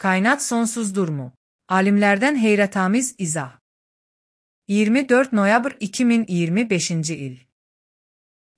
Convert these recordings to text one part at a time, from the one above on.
Kainat sonsuzdurmu? Alimlərdən heyrətamiz izah. 24 noyabr 2025-ci il.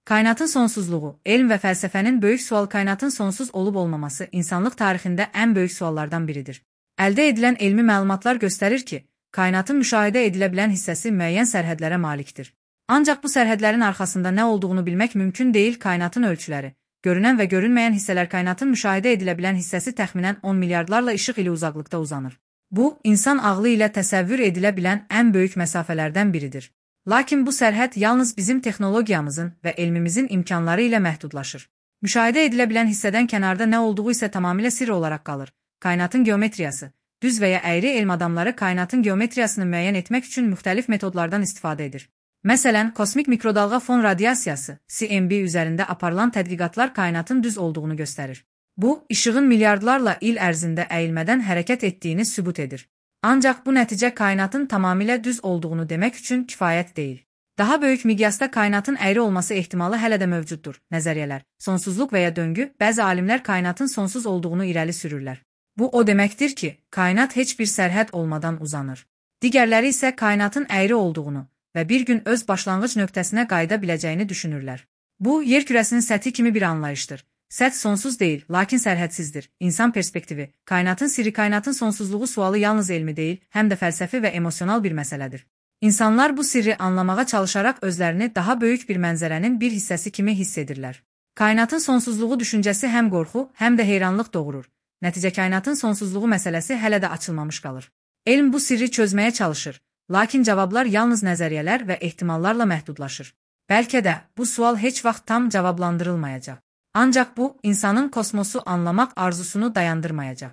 Kainatın sonsuzluğu, elm və fəlsəfənin böyük sual kainatın sonsuz olub olmaması insanlıq tarixində ən böyük suallardan biridir. Əldə edilən elmi məlumatlar göstərir ki, kainatın müşahidə edilə bilən hissəsi müəyyən sərhədlərə malikdir. Ancaq bu sərhədlərin arxasında nə olduğunu bilmək mümkün deyil. Kainatın ölçüləri, görünən və görünməyən hissələr kainatın müşahidə edilə bilən hissəsi təxminən 10 milyardlarla işıq ili uzaqlıqda uzanır. Bu, insan ağlı ilə təsəvvür edilə bilən ən böyük məsafələrdən biridir. Lakin bu sərhəd yalnız bizim texnologiyamızın və elmimizin imkanları ilə məhdudlaşır. Müşahidə edilə bilən hissədən kənarda nə olduğu isə tamamilə sirr olaraq qalır. Kainatın geometriyası, düz və ya əyri elm adamları kainatın geometriyasını müəyyən etmək üçün müxtəlif metodlardan istifadə edir. Məsələn, kosmik mikrodalğa fon radiasiyası, CMB üzərində aparılan tədqiqatlar kainatın düz olduğunu göstərir. Bu, işığın milyardlarla il ərzində əyilmədən hərəkət etdiyini sübut edir. Ancaq bu nəticə kainatın tamamilə düz olduğunu demək üçün kifayət deyil. Daha böyük miqyasda kainatın əyri olması ehtimalı hələ də mövcuddur. Nəzəriyyələr, sonsuzluq və ya döngü, bəzi alimlər kainatın sonsuz olduğunu irəli sürürlər. Bu o deməkdir ki, kainat heç bir sərhəd olmadan uzanır. Digərləri isə kainatın əyri olduğunu və bir gün öz başlanğıc nöqtəsinə qayıda biləcəyini düşünürlər. Bu, yer kürəsinin səthi kimi bir anlayışdır. Səth sonsuz deyil, lakin sərhədsizdir. İnsan perspektivi, kainatın sirri, kainatın sonsuzluğu sualı yalnız elmi deyil, həm də fəlsəfi və emosional bir məsələdir. İnsanlar bu sirri anlamağa çalışaraq özlərini daha böyük bir mənzərənin bir hissəsi kimi hiss edirlər. Kainatın sonsuzluğu düşüncəsi həm qorxu, həm də heyranlıq doğurur. Nəticə kainatın sonsuzluğu məsələsi hələ də açılmamış qalır. Elm bu sirri çözməyə çalışır, lakin cavablar yalnız nəzəriyyələr və ehtimallarla məhdudlaşır. Bəlkə də bu sual heç vaxt tam cavablandırılmayacaq. Ancaq bu, insanın kosmosu anlamaq arzusunu dayandırmayacaq.